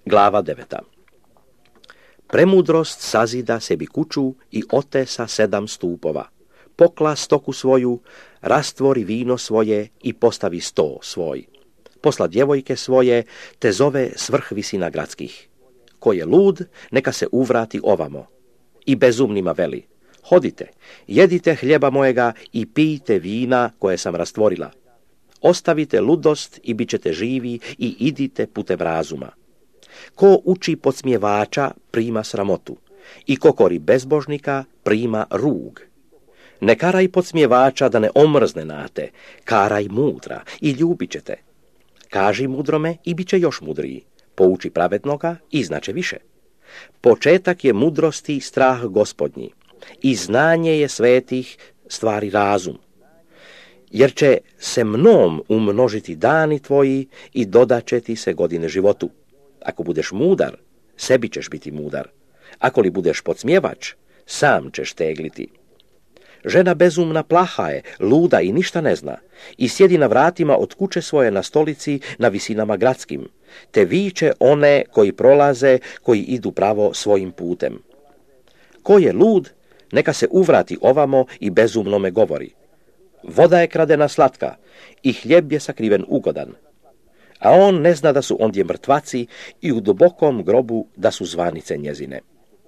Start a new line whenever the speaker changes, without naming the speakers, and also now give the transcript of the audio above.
Glava 9. Premudrost sazida sebi kuću i otesa 7 stupova. Pokla stoku svoju, rastvori vino svoje i postavi sto svoj. Posla djevojke svoje, te zove svrh visina gradskih. Ko je lud, neka se uvrati ovamo. I bezumnima veli: hodite, jedite hljeba mojega i pijte vina koje sam rastvorila. Ostavite ludost i bit ćete živi i idite putem razuma. Ko uči podsmjevača, prima sramotu, i ko kori bezbožnika, prima rug. Ne karaj podsmjevača da ne omrzne na te, karaj mudra i ljubit ćete. Kaži mudrome i bit će još mudriji, pouči pravednoga i znače više. Početak je mudrosti strah Gospodnji, i znanje je svetih stvari razum. Jer će se mnom umnožiti dani tvoji i dodat će ti se godine životu. Ako budeš mudar, sebi ćeš biti mudar. Ako li budeš podsmjevač, sam ćeš tegliti. Žena bezumna plaha je, luda i ništa ne zna, i sjedi na vratima od kuće svoje na stolici na visinama gradskim, te viče one koji prolaze, koji idu pravo svojim putem. Ko je lud, neka se uvrati ovamo i bezumnome govori: voda je kradena slatka i hljeb je sakriven ugodan. A on ne zna da su ondje mrtvaci i u dubokom grobu da su zvanice njezine.